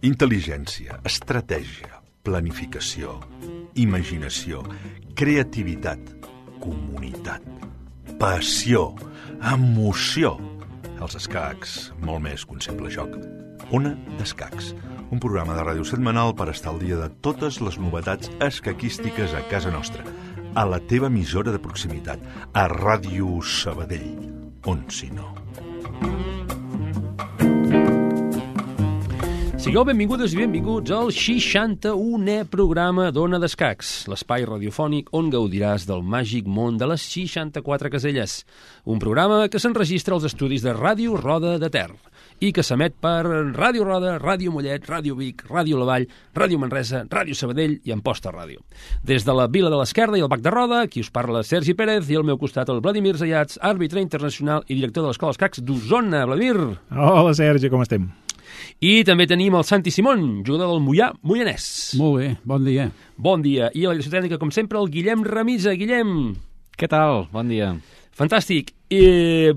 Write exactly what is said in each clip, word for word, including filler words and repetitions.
Intel·ligència, estratègia, planificació, imaginació, creativitat, comunitat, passió, emoció. Els escacs, molt més que un simple joc. Ona d'Escacs, un programa de ràdio setmanal per estar al dia de totes les novetats escaquístiques a casa nostra, a la teva emissora de proximitat, a Ràdio Sabadell, on si no. Sigueu benvingudes i benvinguts al seixanta-unè programa d'Ona d'Escacs, l'espai radiofònic on gaudiràs del màgic món de les seixanta-quatre caselles. Un programa que s'enregistra als estudis de Ràdio Roda de Ter i que s'emet per Ràdio Roda, Ràdio Mollet, Ràdio Vic, Ràdio La Vall, Ràdio Manresa, Ràdio Sabadell i Amposta Ràdio. Des de la Vila de l'Esquerda i el Bac de Roda, aquí us parla Sergi Pérez i al meu costat el Vladimir Zayats, àrbitre internacional i director de l'Escola Escacs d'Osona. Vladimir! Hola, Sergi, com estem? I també tenim el Santi Simón, jugador del Moià Moianès. Molt bé, bon dia. Bon dia. I a la direcció tècnica, com sempre, el Guillem Remisa. Guillem. Què tal? Bon dia. Fantàstic. I,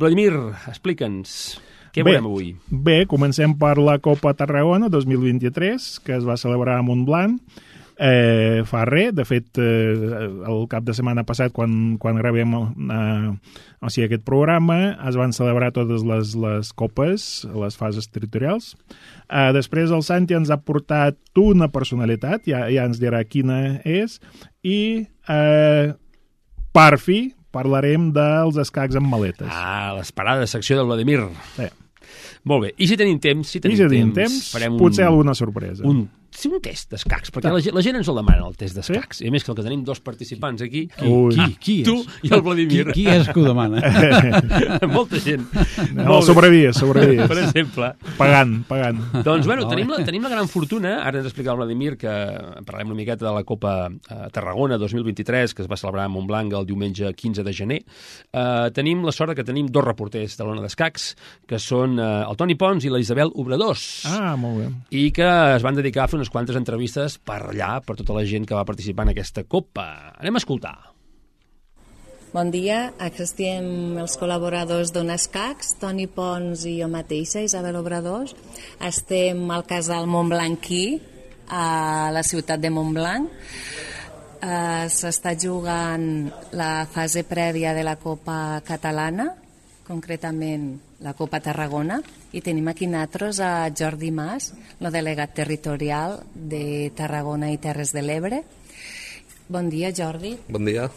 Vladimir, explica'ns, què bé, veurem avui? Bé, comencem per la Copa Tarragona dos mil vint-i-tres, que es va celebrar a Montblanc. Eh, fa res, de fet, eh, el cap de setmana passat, quan, quan gravem eh, o sigui, aquest programa, es van celebrar totes les, les copes, les fases territorials. Eh, després el Santi ens ha portat una personalitat, ja, ja ens dirà quina és, i eh, per fi parlarem dels escacs amb maletes. Ah, l'esperada secció del Vladimir. Sí. Molt bé. I si tenim temps, si tenim, I si tenim temps, temps farem potser un, alguna sorpresa. Un, sí, un test d'escacs, perquè la, la gent ens el demana, el test d'escacs. Sí? I a més que el que tenim dos participants aquí, qui, qui, qui tu i el Vladimir. Qui, qui és que ho demana? Molta gent. No, sobrevies, sobrevies. Per exemple. Pagant, pagant. Doncs, bueno, tenim la, tenim la gran fortuna, ara ens explica el Vladimir, que parlem una miqueta de la Copa eh, Tarragona dos mil vint-i-tres, que es va celebrar a Montblanc el diumenge quinze de gener. Eh, tenim la sort que tenim dos reporters de l'Ona d'Escacs, que són eh, el Toni Pons i la Isabel Obradors. Ah, molt bé. I que es van dedicar a fer unes quantes entrevistes per allà, per tota la gent que va participar en aquesta Copa. Anem a escoltar. Bon dia, aquí estem els col·laboradors d'Ona Escacs, Toni Pons i jo mateixa, Isabel Obradors. Estem al casal Montblanquí, a la ciutat de Montblanc. Uh, S'està jugant la fase prèvia de la Copa Catalana, concretament la Copa Tarragona, i tenim aquí nosaltres a Jordi Mas, el delegat territorial de Tarragona i Terres de l'Ebre. Bon dia, Jordi. Bon dia.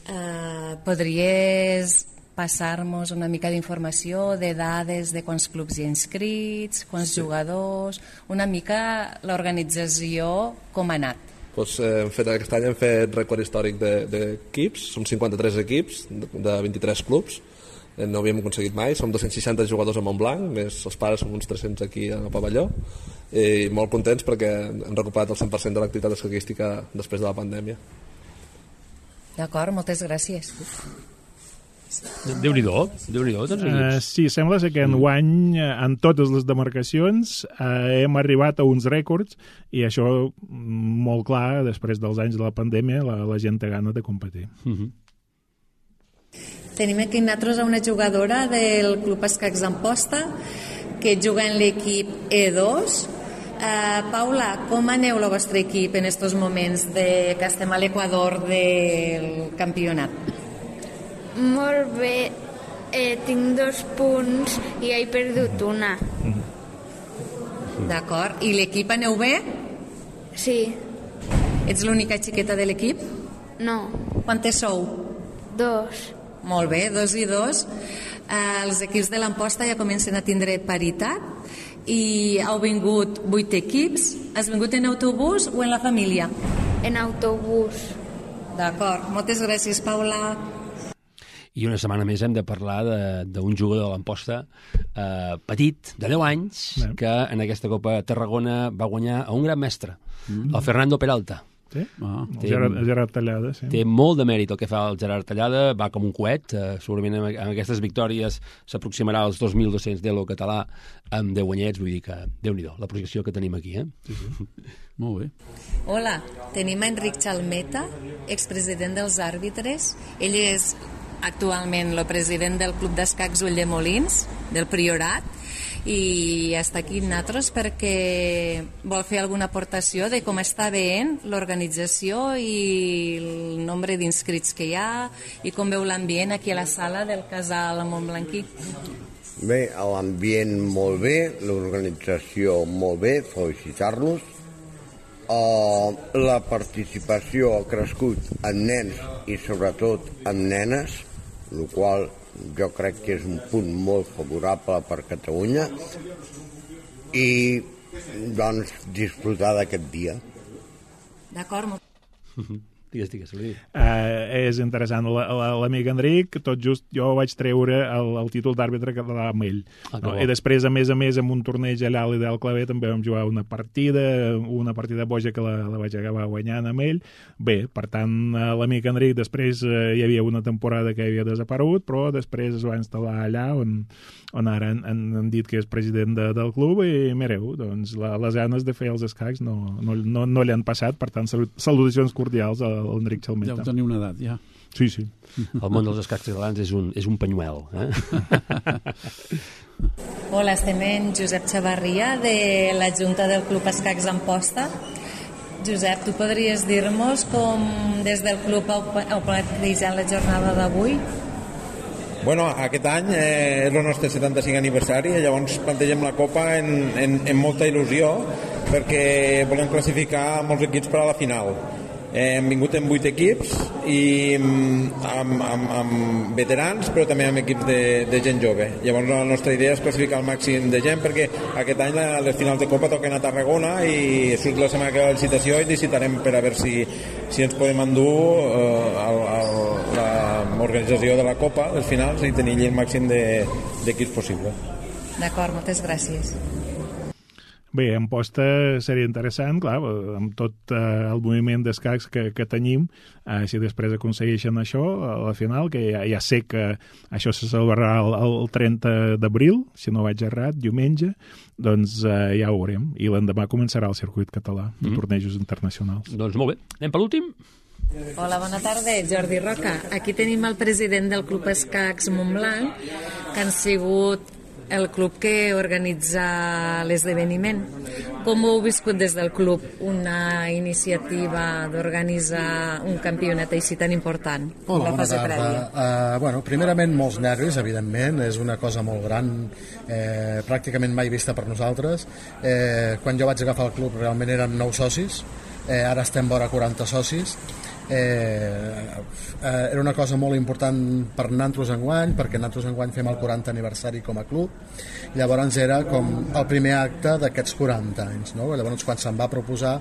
Uh, podries passar-nos una mica d'informació, de dades de quants clubs hi ha inscrits, quants sí. jugadors, una mica l'organització com ha anat? Pues, eh, hem fet, aquest any hem fet rècord històric d'equips, són cinquanta-tres equips de vint-i-tres clubs, no havíem aconseguit mai, som dos-cents seixanta jugadors a Montblanc, més els pares som uns tres-cents aquí al pavelló, i molt contents perquè hem recuperat el cent per cent de l'activitat escaquística després de la pandèmia. D'acord, moltes gràcies. Déu-n'hi-do, Déu-n'hi-do, tants equips. Uh, sí, sembla ser que enguany, en totes les demarcacions, uh, hem arribat a uns rècords, i això, molt clar, després dels anys de la pandèmia, la, la gent té gana de competir. Uh -huh. Tenim aquí nosaltres una jugadora del Club Escacs d'Amposta que juga en l'equip E dos. Uh, Paula, com aneu el vostre equip en aquests moments de, que estem a l'equador del campionat? Molt bé, eh, tinc dos punts i he perdut una. D'acord, i l'equip aneu bé? Sí. Ets l'única xiqueta de l'equip? No. Quantes sou? Dos. Molt bé, dos i dos. Eh, els equips de l'Amposta ja comencen a tindre paritat i heu vingut vuit equips. Has vingut en autobús o en la família? En autobús. D'acord, moltes gràcies, Paula. I una setmana més hem de parlar d'un jugador de l'Amposta eh, petit, de deu anys, sí. que en aquesta Copa Tarragona va guanyar a un gran mestre, mm. el Fernando Peralta. Sí? Ah, té, Gerard, Gerard Tallada, sí. Té molt de mèrit el que fa el Gerard Tallada, va com un coet, eh, segurament amb, amb aquestes victòries s'aproximarà als dos mil dos-cents d'Elo català amb deu guanyets, vull dir que Déu-n'hi-do, la projecció que tenim aquí. Eh? Sí, sí. Molt bé. Hola, tenim a Enric Chalmeta, expresident dels àrbitres. Ell és actualment el president del Club d'Escacs Ulldemolins, del Priorat, i està aquí amb nosaltres perquè vol fer alguna aportació de com està veient l'organització i el nombre d'inscrits que hi ha i com veu l'ambient aquí a la sala del casal Montblanquí. Bé, l'ambient molt bé, l'organització molt bé, felicitar-los. Uh, la participació ha crescut en nens i sobretot en nenes, el qual jo crec que és un punt molt favorable per Catalunya, i doncs disfrutar d'aquest dia. D'acord. Digues, digues, uh, és interessant. L'amic Enric, tot just jo vaig treure el, el títol d'àrbitre català amb ell. Ah, no? I després, a més a més, en un torneig allà a l'Ideal Clavé també vam jugar una partida, una partida boja que la, la vaig acabar guanyant amb ell. Bé, per tant, l'amic Enric, després eh, hi havia una temporada que havia desaparegut, però després es va instal·lar allà on, on ara han, han dit que és president de, del club, i mireu, doncs la, les ganes de fer els escacs no, no, no, no li han passat. Per tant, salutacions cordials a l'Enric Chalmeta. Deu tenir una edat, ja. Sí, sí. El món dels escacs catalans és un, és un penyuel. Eh? Hola, estem en Josep Xavarria, de la Junta del Club Escacs Amposta. Josep, tu podries dir-nos com des del club heu plantejat la jornada d'avui? Bueno, aquest any eh, és el nostre setanta-cinc aniversari, i llavors plantegem la Copa en, en, en molta il·lusió, perquè volem classificar molts equips per a la final. Eh, hem vingut amb vuit equips i amb, amb, amb veterans, però també amb equips de, de gent jove. Llavors la nostra idea és classificar el màxim de gent, perquè aquest any la, les finals de Copa toquen a Tarragona i surt la setmana que ve la licitació i licitarem per a veure si, si ens podem endur eh, l'organització de la Copa, les finals, i tenir el màxim d'equips de, possible. D'acord, moltes gràcies. Bé, Amposta seria interessant, clar, amb tot eh, el moviment d'escacs que, que tenim, eh, si després aconsegueixen això, a la final, que ja, ja sé que això se celebrarà el, el trenta d'abril, si no vaig errat, diumenge, doncs eh, ja ho veurem. I l'endemà començarà el circuit català de mm. tornejos internacionals. Doncs molt bé. Anem per l'últim? Hola, bona tarda, Jordi Roca. Aquí tenim el president del Club Escacs Montblanc, que han sigut el club que organitza l'esdeveniment. Com ho heu viscut des del club, una iniciativa d'organitzar un campionat així tan important? Hola, bona tarda. Uh, bueno, primerament, molts nervis, evidentment, és una cosa molt gran, eh, pràcticament mai vista per nosaltres. Eh, quan jo vaig agafar el club realment érem nou socis, eh, ara estem vora quaranta socis. Eh, eh, era una cosa molt important per nosaltres enguany, perquè nosaltres enguany fem el quaranta aniversari com a club. Llavors era com el primer acte d'aquests quaranta anys, no? Llavors quan se'm va proposar,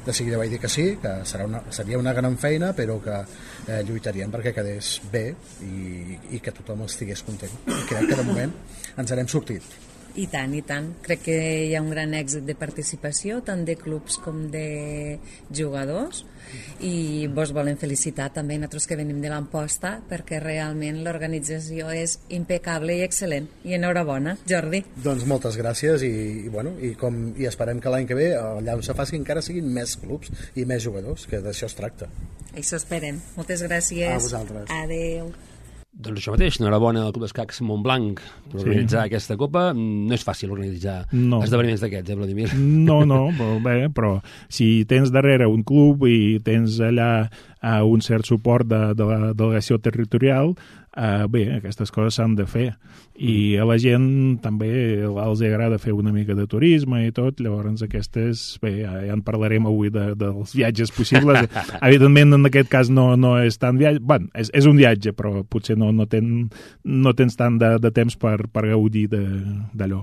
de seguida vaig dir que sí, que serà una, seria una gran feina, però que eh, lluitaríem perquè quedés bé i, i que tothom estigués content. I crec que de moment ens n'hem sortit. I tant, i tant. Crec que hi ha un gran èxit de participació, tant de clubs com de jugadors, i vos volem felicitar també nosaltres que venim de l'Amposta, perquè realment l'organització és impecable i excel·lent. I enhorabona, Jordi. Doncs moltes gràcies, i, i, bueno, i, com, i esperem que l'any que ve allà on se faci encara siguin més clubs i més jugadors, que d'això es tracta. Això esperem. Moltes gràcies. A vosaltres. Adéu. Doncs això mateix, enhorabona al Club d'Escacs Montblanc per sí. organitzar aquesta Copa. No és fàcil organitzar no. esdeveniments d'aquests, eh, Vladimir? No, no, però bé, però si tens darrere un club i tens allà uh, un cert suport de, de la delegació territorial, uh, bé, aquestes coses s'han de fer. I a la gent també els agrada fer una mica de turisme i tot, llavors aquestes, bé, ja en parlarem avui de, dels viatges possibles. Evidentment, en aquest cas no, no és tant viatge, bueno, és, és un viatge, però potser no, no, ten, no tens tant de, de temps per, per gaudir d'allò.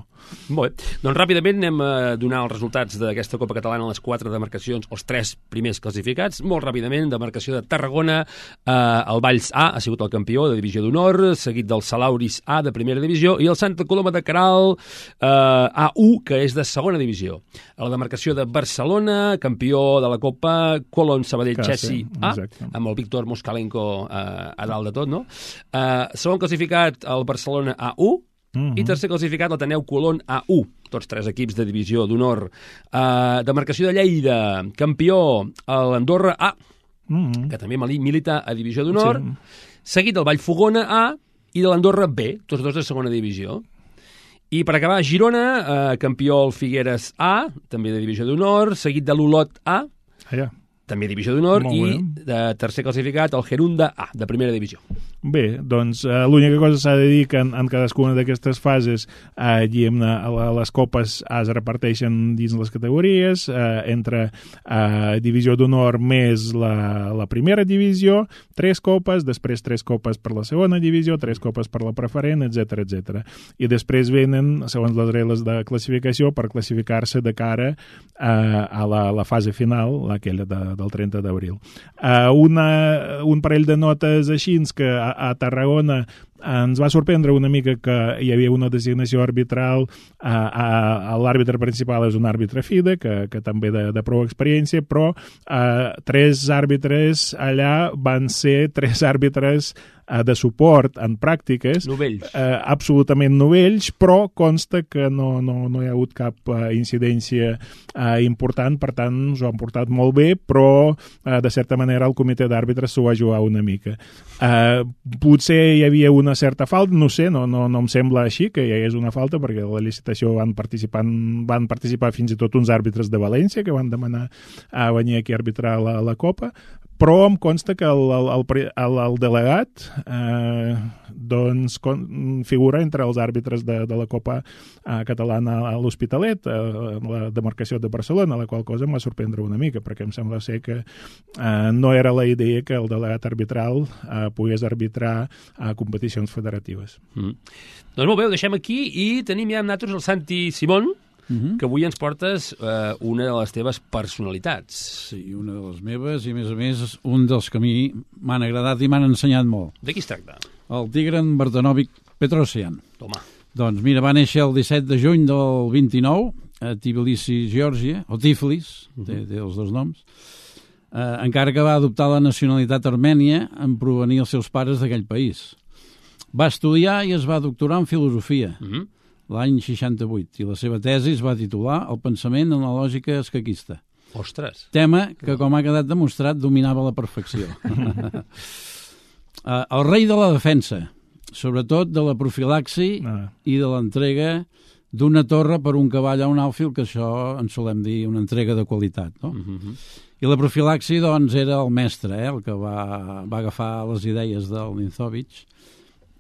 Molt bé. Doncs ràpidament anem a donar els resultats d'aquesta Copa Catalana, les quatre demarcacions, els tres primers classificats. Molt ràpidament, demarcació de Tarragona, eh, el Valls A ha sigut el campió de divisió d'honor, seguit del Salauris A de primera divisió i el Santa Coloma de Queralt eh, A u, que és de segona divisió. A la demarcació de Barcelona, campió de la Copa, Colón Sabadell Chessi A, amb el Víctor Moskalenko eh, a dalt de tot, no? Eh, segon classificat, el Barcelona A u, Uh-huh. i tercer classificat l'Ateneu Colón A u, tots tres equips de divisió d'honor. Uh, demarcació de Lleida, campió l'Andorra A, Mm-hmm. que també milita a Divisió d'Honor, sí. seguit del Vallfogona A i de l'Andorra B, tots dos de segona divisió. I per acabar, Girona, eh, campió el Figueres A, també de Divisió d'Honor, seguit de l'Olot A, Allà. també Divisió d'Honor, Molt i bé. de tercer classificat el Gerunda A, de primera divisió. Bé, doncs eh, l'única cosa s'ha de dir que en, en cadascuna d'aquestes fases eh, diguem, a les copes es reparteixen dins les categories, eh, entre eh, divisió d'honor més la, la primera divisió, tres copes, després tres copes per la segona divisió, tres copes per la preferent, etcètera, etcètera. I després venen, segons les regles de classificació, per classificar-se de cara eh, a la, la fase final, aquella de, del trenta d'abril. Eh, una, un parell de notes així que a, a Tarragona ens va sorprendre una mica que hi havia una designació arbitral, a, a, a l'àrbitre principal és un àrbitre FIDE, que, que també de, de prou experiència, però a, tres àrbitres allà van ser tres àrbitres de suport en pràctiques, novells. Eh, absolutament novells, però consta que no, no, no hi ha hagut cap eh, incidència eh, important, per tant s'ho han portat molt bé, però eh, de certa manera el comitè d'àrbitres s'ho va jugar una mica. Eh, potser hi havia una certa falta, no sé, no, no, no em sembla així que hi hagués una falta, perquè a la licitació van participar, van participar fins i tot uns àrbitres de València que van demanar a venir aquí a arbitrar la, la Copa, però em consta que el, el, el, el delegat eh, doncs con, figura entre els àrbitres de, de la Copa eh, catalana a l'Hospitalet, eh, la demarcació de Barcelona, la qual cosa em va sorprendre una mica, perquè em sembla ser que eh, no era la idea que el delegat arbitral eh, pogués arbitrar a competicions federatives. Mm. Doncs molt bé, ho deixem aquí i tenim ja amb nosaltres el Santi Simón, Uh-huh. que avui ens portes eh, una de les teves personalitats. Sí, una de les meves, i a més a més un dels que a mi m'han agradat i m'han ensenyat molt. De qui es tracta? El Tigran Bardanovic Petrosyan. Toma. Doncs mira, va néixer el disset de juny del vint-i-nou a Tbilisi, Geòrgia, o Tiflis, uh-huh. té, té els dos noms, eh, encara que va adoptar la nacionalitat armènia en provenir els seus pares d'aquell país. Va estudiar i es va doctorar en filosofia. Uh-huh. L'any seixanta-vuit, i la seva tesi es va titular El pensament en la lògica escaquista. Ostres! Tema que, com ha quedat demostrat, dominava a la perfecció. El rei de la defensa, sobretot de la profilaxi ah. i de l'entrega d'una torre per un cavall a un àlfil, que això en solem dir una entrega de qualitat, no? Uh-huh. I la profilaxi, doncs, era el mestre, eh, el que va, va agafar les idees del Ninzovich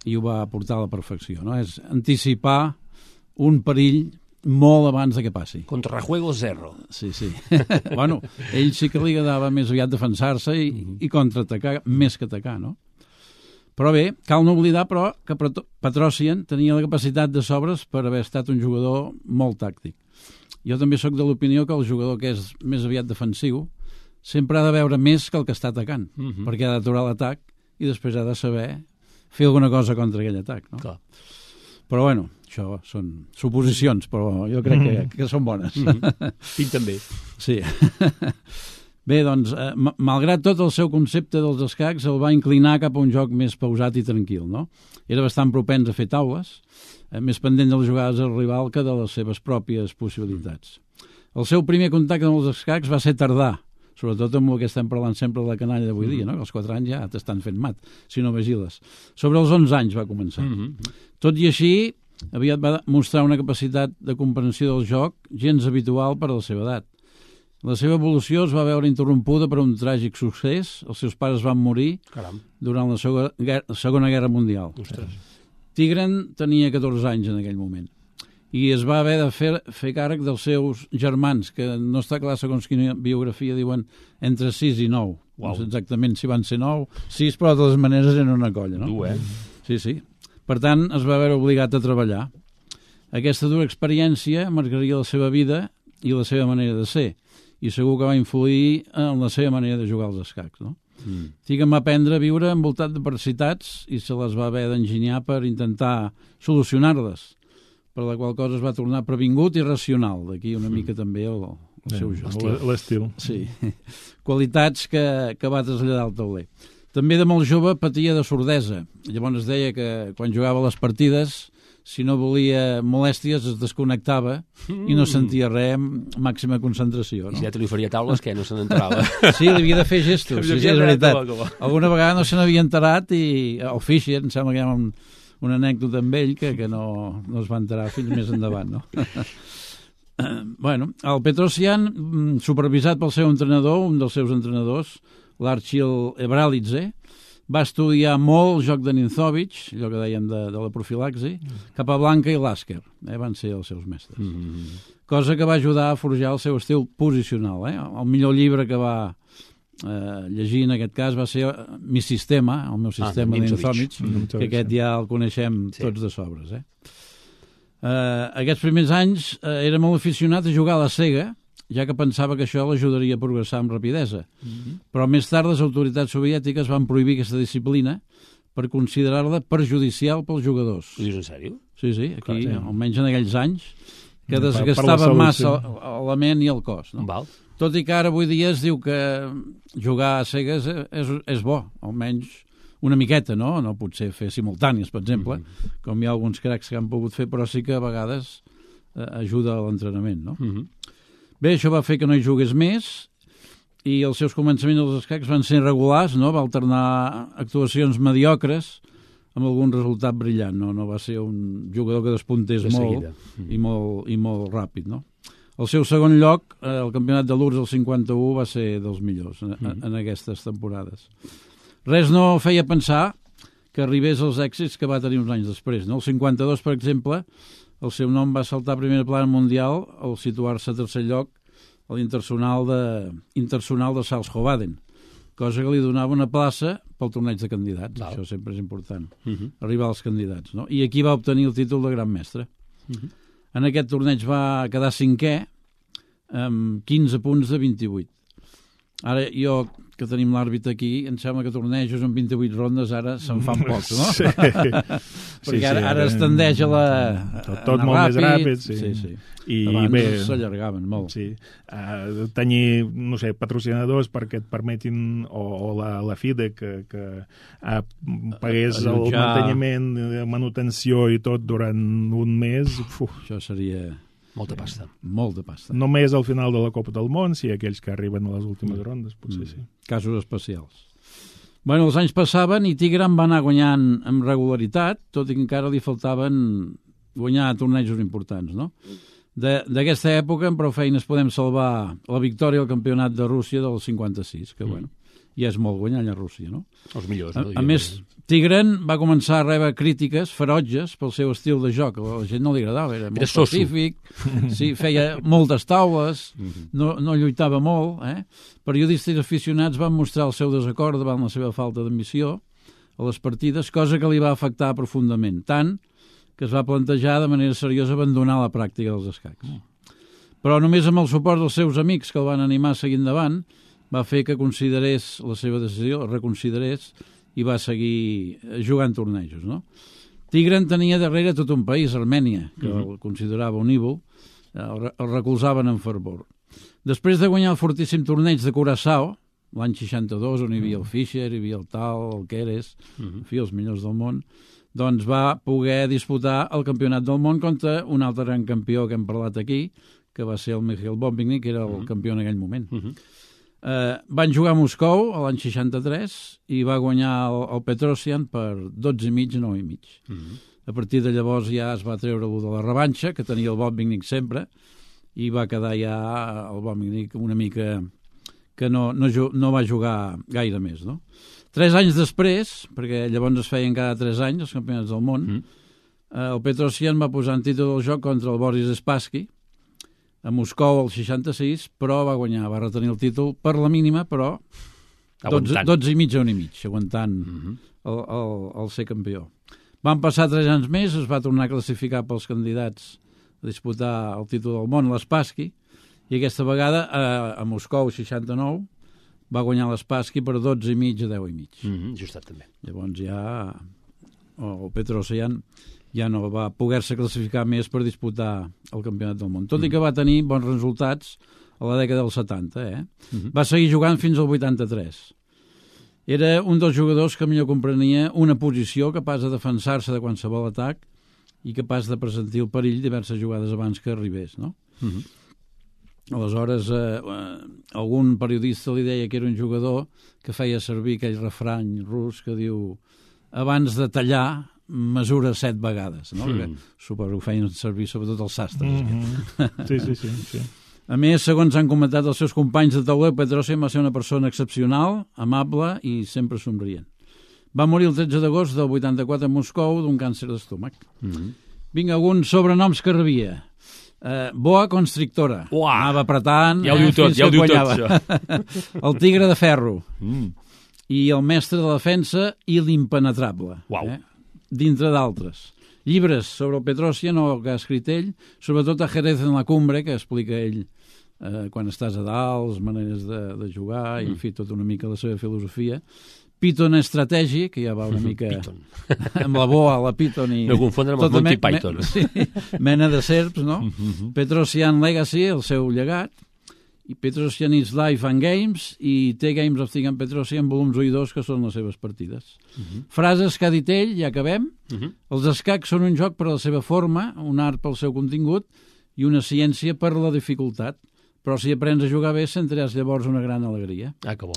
i ho va portar a la perfecció, no? És anticipar un perill molt abans de que passi. Contrajuego zero. Sí, sí. Bueno, ell sí que li agradava més aviat defensar-se i, mm-hmm. i contraatacar més que atacar, no? Però bé, cal no oblidar, però, que Petrosyan tenia la capacitat de sobres per haver estat un jugador molt tàctic. Jo també sóc de l'opinió que el jugador que és més aviat defensiu sempre ha de veure més que el que està atacant, mm-hmm. perquè ha d'aturar l'atac i després ha de saber fer alguna cosa contra aquell atac, no? Clar. Però, bueno, això són suposicions, però jo crec que, que són bones. Mm-hmm. Pinten bé. Sí. Bé, doncs, eh, malgrat tot el seu concepte dels escacs, el va inclinar cap a un joc més pausat i tranquil, no? Era bastant propens a fer taules, eh, més pendent de les jugades del rival que de les seves pròpies possibilitats. El seu primer contacte amb els escacs va ser tardà, sobretot amb el que estem parlant sempre de la canalla d'avui dia, no? Que als quatre anys ja t'estan fent mat, si no vigiles. Sobre els onze anys va començar. Mm-hmm. Tot i així, aviat va mostrar una capacitat de comprensió del joc gens habitual per a la seva edat. La seva evolució es va veure interrompuda per un tràgic succés. Els seus pares van morir Caram. durant la Segona Guerra Mundial. Ostres. Tigran tenia catorze anys en aquell moment i es va haver de fer, fer càrrec dels seus germans, que no està clar segons quina biografia diuen entre sis i nou. Wow. No sé exactament si van ser nou, sis, però de totes maneres eren una colla, no? Tu, eh? Sí, sí. Per tant, es va veure obligat a treballar. Aquesta dura experiència marcaria la seva vida i la seva manera de ser, i segur que va influir en la seva manera de jugar als escacs, no? Mm. Tigran va aprendre a viure envoltat d'adversitats i se les va haver d'enginyar per intentar solucionar-les, per la qual cosa es va tornar previngut i racional. D'aquí una mica també el, el seu joc. L'estil. Sí. Qualitats que, que va traslladar al tauler. També de molt jove patia de sordesa. Llavors es deia que quan jugava les partides si no volia molèsties es desconnectava mm. i no sentia res, màxima concentració. No? I si ja te li faria taules, què? No se n'enterava. Sí, li havia de fer gestos, sí, sí, és veritat. Alguna vegada no se n'havia enterat i el Fischer, em sembla que hi ha un, una anècdota amb ell que, que no, no es va enterar fins més endavant. No? Bueno, el Petrosian, supervisat pel seu entrenador, un dels seus entrenadors, l'Archil Ebralitze, va estudiar molt el joc de Ninzovic, allò que dèiem de, de la profilaxi, cap a Blanca i Lasker, eh, van ser els seus mestres. Mm-hmm. Cosa que va ajudar a forjar el seu estil posicional. Eh? El millor llibre que va eh, llegir en aquest cas va ser Mi Sistema, el meu sistema ah, de Ninzovic, mm-hmm. que aquest ja el coneixem sí. tots de sobres. Eh? Eh, aquests primers anys eh, era molt aficionat a jugar a la Sega, ja que pensava que això l'ajudaria a progressar amb rapidesa. Mm-hmm. Però més tard les autoritats soviètiques van prohibir aquesta disciplina per considerar-la perjudicial pels jugadors. Ho dius en sèrio? Sí, sí, aquí, Clar, sí. almenys en aquells anys, que desgastava massa la ment i el cos. No? Val. Tot i que ara avui dia es diu que jugar a cegues és, és bo, almenys una miqueta, no? No pot ser fer simultànies, per exemple, mm-hmm. com hi ha alguns cracs que han pogut fer, però sí que a vegades eh, ajuda a l'entrenament, no? Mm-hmm. Bé, això va fer que no hi jugués més i els seus començaments dels escacs van ser regulars, no? Va alternar actuacions mediocres amb algun resultat brillant, no? No va ser un jugador que despuntés de molt mm. i, molt i molt ràpid, no? El seu segon lloc, eh, el campionat de l'U R S S del cinquanta-u, va ser dels millors en, mm. en aquestes temporades. Res no feia pensar que arribés als èxits que va tenir uns anys després, no? El cinquanta-dos, per exemple, el seu nom va saltar a primera plana mundial al situar-se a tercer lloc a l'Internacional de, Internacional de Salzhovaden, cosa que li donava una plaça pel torneig de candidats. Val. Això sempre és important, uh-huh. arribar als candidats. No? I aquí va obtenir el títol de gran mestre. Uh-huh. En aquest torneig va quedar cinquè amb quinze punts de vint-i-vuit. Ara, jo, que tenim l'àrbitre aquí, em sembla que tornejos amb vint-i-vuit rondes ara se'n fan pocs, no? Sí. Perquè sí, ara, sí, ara es tendeix a la... Tot, tot molt ràpid, més ràpid, sí. sí, sí. I abans bé, s'allargaven molt. Sí. Uh, tenir, no sé, patrocinadors perquè et permetin, o, o la, la FIDE, que, que uh, pagués el manteniment, manutenció i tot durant un mes. Uf. Això seria... Molta pasta. Molta pasta. Només al final de la Copa del Món, si aquells que arriben a les últimes mm. rondes, potser mm. sí. Casos especials. Bueno, els anys passaven i Tigran va anar guanyant amb regularitat, tot i que encara li faltaven guanyar tornejos importants, no? D'aquesta època, amb prou feines, podem salvar la victòria al campionat de Rússia del cinquanta-sis, que, mm. bueno, ja és molt guanyar allà a Rússia, no? Els millors, no? A, a més, Tigran va començar a rebre crítiques ferotges pel seu estil de joc. A la gent no li agradava, era molt era pacífic, sí, feia moltes taules, no, no lluitava molt. Eh? Periodistes aficionats van mostrar el seu desacord davant la seva falta d'ambició a les partides, cosa que li va afectar profundament, tant que es va plantejar de manera seriosa abandonar la pràctica dels escacs. Però només amb el suport dels seus amics que el van animar a seguir endavant va fer que considerés la seva decisió, reconsiderés, i va seguir jugant tornejos, no? Tigran tenia darrere tot un país, Armènia, que uh-huh. el considerava un ídol, el, el recolzaven en fervor. Després de guanyar el fortíssim torneig de Curaçao, l'any seixanta-dos, on hi havia el Fischer, hi havia el Tal, el Keres, uh-huh. en fi, els millors del món, doncs va poder disputar el campionat del món contra un altre gran campió que hem parlat aquí, que va ser el Mikhail Bobigny, que era el uh-huh. campió en aquell moment. Uh-huh. Uh, van jugar a Moscou l'any seixanta-tres i va guanyar el, el Petrosian per dotze i mig, nou i mig. Uh-huh. A partir de llavors ja es va treure el de la revanxa, que tenia el Bobigny sempre, i va quedar ja el Bobigny una mica que no, no, no va jugar gaire més, no? Tres anys després, perquè llavors es feien cada tres anys els campionats del món, uh-huh. uh, el Petrosian va posar en títol del joc contra el Boris Spassky, a Moscou el seixanta-sis, però va guanyar, va retenir el títol per la mínima, però dotze, dotze i mig a un i mig, aguantant uh-huh. el, el, el ser campió. Van passar tres anys més, es va tornar a classificar pels candidats a disputar el títol del món, l'Spassky, i aquesta vegada a, a Moscou seixanta-nou va guanyar l'Spassky per dotze i mig a deu i mig. Uh-huh. Justat també. Llavors ja el Petrosian ja no va poder-se classificar més per disputar el campionat del món. Tot mm. i que va tenir bons resultats a la dècada dels setanta. Eh? Mm-hmm. Va seguir jugant fins al vuitanta-tres. Era un dels jugadors que millor comprenia una posició capaç de defensar-se de qualsevol atac i capaç de pressentir el perill diverses jugades abans que arribés, no? Mm-hmm. Aleshores, eh, eh, algun periodista li deia que era un jugador que feia servir aquell refrany rus que diu abans de tallar, mesura set vegades, no? Mm. Suposo que feien servir sobretot els sastres. Mm-hmm. Sí, sí, sí, sí. A més, segons han comentat els seus companys de tauler, Petrosian va ser una persona excepcional, amable i sempre somrient. Va morir el tretze d'agost del vuitanta-quatre a Moscou d'un càncer d'estómac. Mm-hmm. Vinga, alguns sobrenoms que rebia. Uh, boa constrictora. Uah. Anava apretant, ja ho diu eh, tot, fins ja ho que diu tot, quallava. El tigre de ferro. Mm. I el mestre de la defensa i l'impenetrable. Uau. Eh? Dintre d'altres. Llibres sobre el Petrosian, o que ha escrit ell, sobretot a Jerez en la Cumbre, que explica ell eh, quan estàs a dalt, les maneres de, de jugar, mm. i en fi, tot una mica la seva filosofia. Python Strategy, que ja va una mica amb la boa, la Python i... No confondre amb el Monty Python. Me, sí, mena de serps, no? Mm-hmm. Petrosian Legacy, el seu llegat, i Petrosian is Life and Games, i té Games of Thing and Petrosian, volums u i dos, que són les seves partides. Mm-hmm. Frases que ha dit ell, ja acabem. Mm-hmm. Els escacs són un joc per a la seva forma, un art pel seu contingut, i una ciència per la dificultat. Però si aprens a jugar bé, sentiràs llavors una gran alegria. Ah, que bo.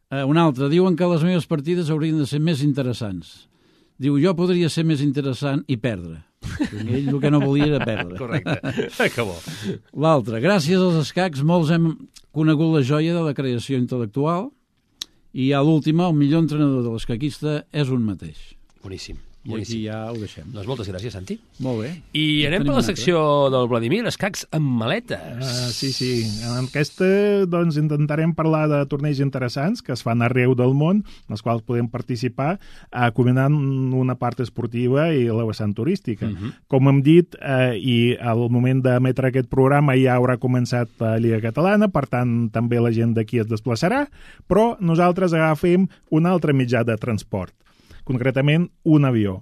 Uh, un altre, diuen que les meves partides haurien de ser més interessants. Diu, jo podria ser més interessant i perdre. Ell el que no volia era perdre. Correcte, que bo. L'altre, gràcies als escacs molts hem conegut la joia de la creació intel·lectual i a l'última, el millor entrenador de l'escaquista és un mateix. Boníssim. I aquí ja ho deixem. Doncs moltes gràcies, Santi. Molt bé. I anem per la secció del Vladimir, escacs amb maletes. Uh, sí, sí. En aquesta doncs, intentarem parlar de torneigs interessants que es fan arreu del món, en els quals podem participar, uh, combinant una part esportiva i la vessant turística. Uh-huh. Com hem dit, uh, i al moment d'emetre aquest programa ja haurà començat la Lliga Catalana, per tant, també la gent d'aquí es desplaçarà, però nosaltres agafem un altre mitjà de transport, concretament un avió.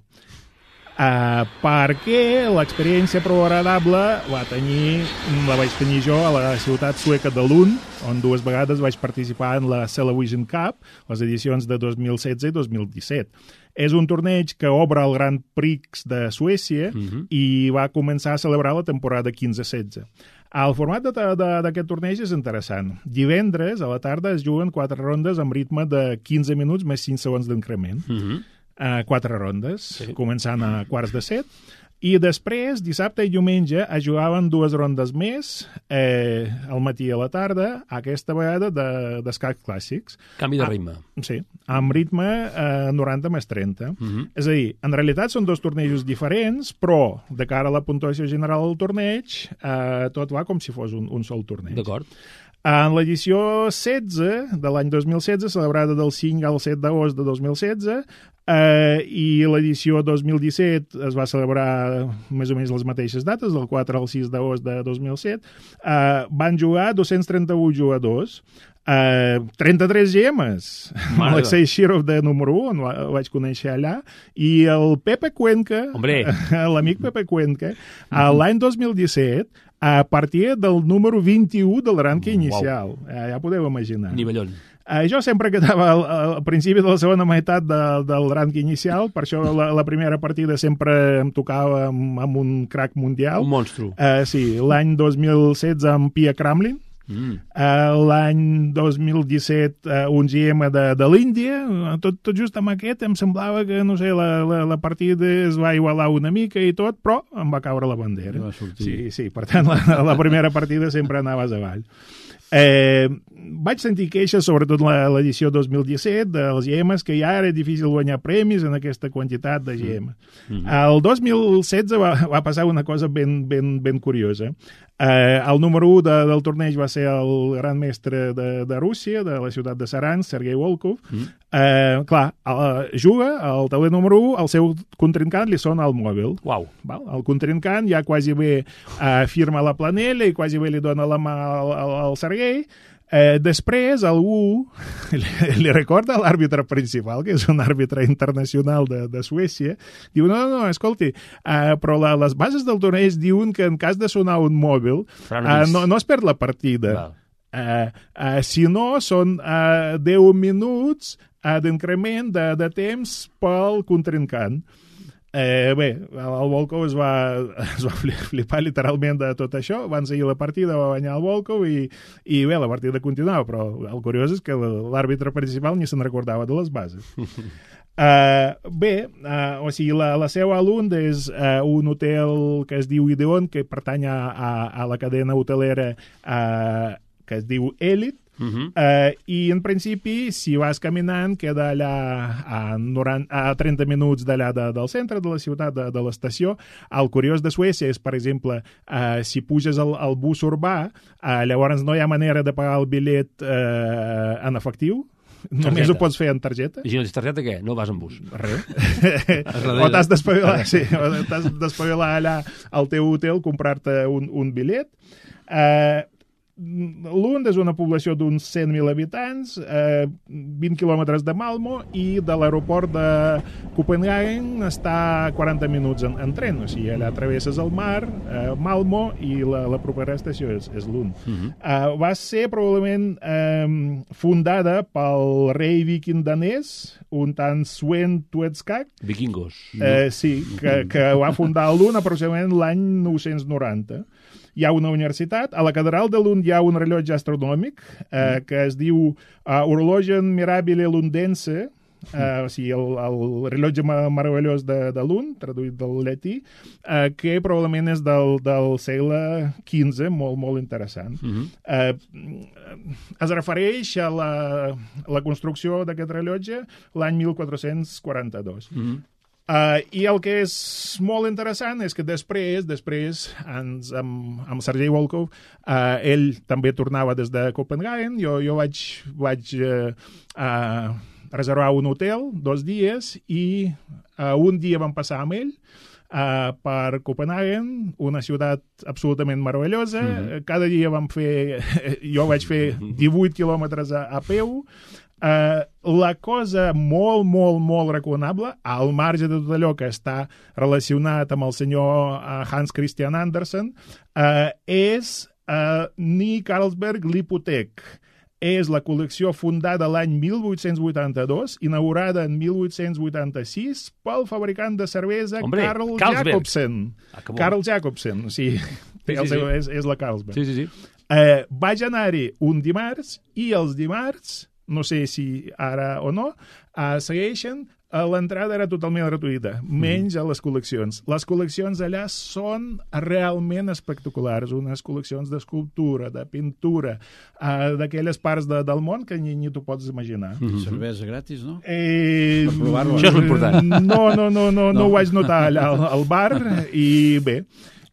Uh, perquè l'experiència prou agradable va tenir, la vaig tenir jo a la ciutat sueca de Lund, on dues vegades vaig participar en la Television Cup, les edicions de dos mil setze i dos mil disset. És un torneig que obre el Grand Prix de Suècia uh-huh. i va començar a celebrar la temporada quinze setze. El format d'aquest torneig és interessant. Divendres a la tarda es juguen quatre rondes amb ritme de quinze minuts més cinc segons d'increment. Uh-huh. Uh, quatre rondes, sí. Començant a quarts de set, i després, dissabte i diumenge, es jugaven dues rondes més, eh, al matí i a la tarda, aquesta vegada d'escacs clàssics. Canvi de ritme. Ah, sí, amb ritme eh, noranta més trenta. Uh-huh. És a dir, en realitat són dos tornejos diferents, però de cara a la puntuació general del torneig, eh, tot va com si fos un, un sol torneig. D'acord. En l'edició setze de l'any dos mil setze, celebrada del cinc al set d'agost de dos mil setze, eh, i l'edició dos mil disset es va celebrar més o menys les mateixes dates, del quatre al sis d'agost de dos mil set, eh, van jugar dos-cents trenta-un jugadors, eh, trenta-tres gemes. Alexei Shirov de número un, el vaig conèixer allà, i el Pepe Cuenca, l'amic Pepe Cuenca, uh-huh. l'any dos mil disset, a partir del número vint-i-u del rànquing inicial. Wow. Eh, ja podeu imaginar. Nivellón. Eh, jo sempre quedava al, al principi de la segona meitat de, del rànquing inicial, per això la, la primera partida sempre em tocava amb, amb un crack mundial. Un monstru. Eh, sí, l'any dos mil setze amb Pia Kramlin. Mm. Uh, l'any dos mil disset uh, un G M de, de l'Índia, tot, tot just amb aquest em semblava que, no sé, la, la, la partida es va igualar una mica i tot, però em va caure la bandera. Sí, sí, per tant la, la primera partida sempre anaves avall. Eh, vaig sentir queixes, sobretot l'edició dos mil disset, dels G Ms, que ja era difícil guanyar premis en aquesta quantitat de G M. Mm-hmm. El dos mil setze va, va passar una cosa ben, ben, ben curiosa. Eh, el número u de, del torneig va ser el gran mestre de, de Rússia, de la ciutat de Saran, Sergei Volkov. Mm. Eh, clar, el, juga al tauler número u, el seu contrincant li sona al mòbil. Uau. Val? El contrincant ja quasi bé eh, firma la planella i quasi bé li dona la mà al, al, al Sergei. Eh, després, algú li, li recorda a l'àrbitre principal, que és un àrbitre internacional de, de Suècia, diu, no, no, no, escolti, eh, però la, les bases del torneig diuen que en cas de sonar un mòbil eh, no, no es perd la partida. Eh, eh, si no, són eh, deu minuts eh, d'increment de, de temps pel contrincant. Eh, bé, el Volkov es va, es va flipar literalment de tot això, van seguir la partida, va guanyar el Volkov i, i bé, la partida continuava, però el curiós és que l'àrbitre principal ni se'n recordava de les bases. Uh, bé, uh, o sigui, la, la seu a Lund és uh, un hotel que es diu Ideon, que pertany a, a, a la cadena hotelera uh, que es diu Elite. Uh-huh. Uh, i en principi si vas caminant queda allà a, noranta, a trenta minuts d'allà de, del centre de la ciutat, de, de l'estació. El curiós de Suècia és, per exemple, uh, si puges al, al bus urbà, uh, llavors no hi ha manera de pagar el bitllet uh, en efectiu. Només targeta. Ho pots fer en targeta. I si no tens targeta, què? No vas en bus. Res. O t'has d'espavilar, sí, o t'has d'espavilar allà al teu hotel, comprar-te un, un bitllet. Eh... Uh, Lund és una població d'uns cent mil habitants, eh, vint quilòmetres de Malmö, i de l'aeroport de Copenhagen està a quaranta minuts en, en tren, o sigui, allà travesses el mar, eh, Malmö, i la, la propera estació és, és Lund. Uh-huh. eh, va ser probablement eh, fundada pel rei viking danès, un tant Sven Tuetskag. Vikingos. Eh, sí, que, que va fundar Lund aproximadament l'any nou-cents noranta. Hi ha una universitat, a la catedral de Lund hi ha un rellotge astronòmic eh, que es diu uh, Horlogen Mirabile Lundense, eh, o sigui, el, el rellotge meravellós de, de Lund, traduït del llatí, eh, que probablement és del, del segle quinze, molt, molt interessant. Uh-huh. eh, es refereix a la, la construcció d'aquest rellotge l'any mil quatre-cents quaranta-dos. Uh-huh. Uh, I el que és molt interessant és que després, després ens, amb, amb Sergei Volkov, uh, ell també tornava des de Copenhagen, jo, jo vaig, vaig uh, uh, reservar un hotel dos dies i uh, un dia vam passar amb ell uh, per Copenhagen, una ciutat absolutament meravellosa. Mm-hmm. Cada dia vam fer, jo vaig fer divuit quilòmetres a, a peu. Uh, la cosa molt, molt, molt recomanable, al marge de tot allò que està relacionat amb el senyor uh, Hans Christian Andersen, uh, és uh, Ny Carlsberg Lipotek. És la col·lecció fundada l'any mil vuit-cents vuitanta-dos, inaugurada en mil vuit-cents vuitanta-sis pel fabricant de cervesa Hombre, Carl Carlsberg. Jacobsen. Ah, Carl Jacobsen, o sigui, sí, sí, sí. És, és la Carlsberg. Sí, sí, sí. Uh, vaig anar-hi un dimarts i els dimarts, no sé si ara o no, uh, segueixen, uh, l'entrada era totalment gratuïta, menys a les col·leccions. Les col·leccions allà són realment espectaculars, unes col·leccions d'escultura, de pintura, uh, d'aquelles parts de, del món que ni, ni t'ho pots imaginar. Mm-hmm. Cervesa gratis, no? Eh, per provar-ho. Això és l'important. No, no, no, no, no, no ho vaig notar allà al, al bar, i bé,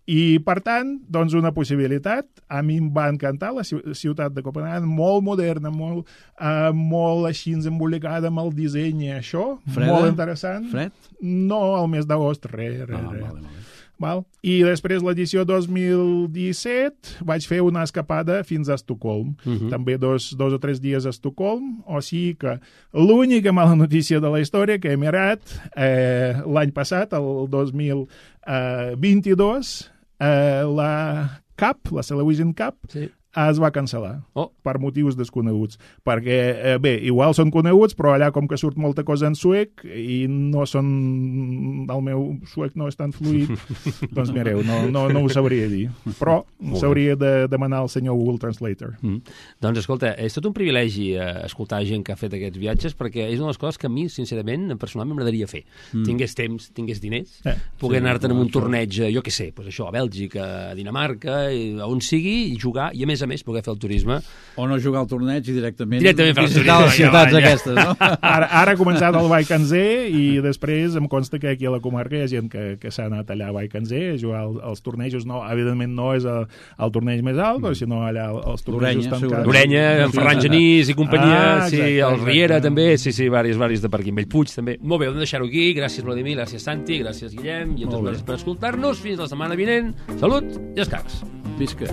i, per tant, doncs una possibilitat. A mi em va encantar la ciutat de Copenhagen, molt moderna, molt, uh, molt així embolicada amb el disseny i això. Freda? Molt interessant. Fred? No, al mes d'agost, res, res, Ah, res. vale, vale. Val? I després l'edició dos mil disset vaig fer una escapada fins a Estocolm. Uh-huh. També dos, dos o tres dies a Estocolm, o sigui que l'única mala notícia de la història que he mirat eh, l'any passat, el dos mil vint-i-dos, eh, la Cup, la Television Cup, sí, es va cancel·lar, oh, per motius desconeguts. Perquè, eh, bé, igual són coneguts, però allà com que surt molta cosa en suec i no són... El meu suec no és tan fluid, doncs mireu, no, no, no ho sabria dir. Però s'hauria de demanar al senyor Google Translator. Mm. Doncs, escolta, és tot un privilegi eh, escoltar gent que ha fet aquests viatges, perquè és una de les coses que a mi, sincerament, personalment m'agradaria fer. Mm. Tingués temps, tingués diners, eh, poder sí, anar-te'n en un torneig, jo què sé, pues això, a Bèlgica, a Dinamarca, a on sigui, i jugar, i a més a més poder fer el turisme. O no jugar al torneig i directament, directament visitar les ciutats ja, ja. aquestes, no? Ara, ara ha començat el Baikanzer i després em consta que aquí a la comarca hi ha gent que, que s'ha anat allà a Baikanzer a jugar al, als tornejos. No, evidentment no és el, el torneig més alt, mm. sinó allà els tornejos tancats. L'Orenya, en Ferran Genís i companyia, ah, exacte, sí, el Riera exacte. També, sí, sí, varis, varis de per aquí, Bellpuig també. Molt bé, hem de deixar-ho aquí. Gràcies, Vladimir, gràcies, Santi, gràcies, Guillem, i a tots gràcies per escoltar-nos. Fins la setmana vinent. Salut i escacs. Visca.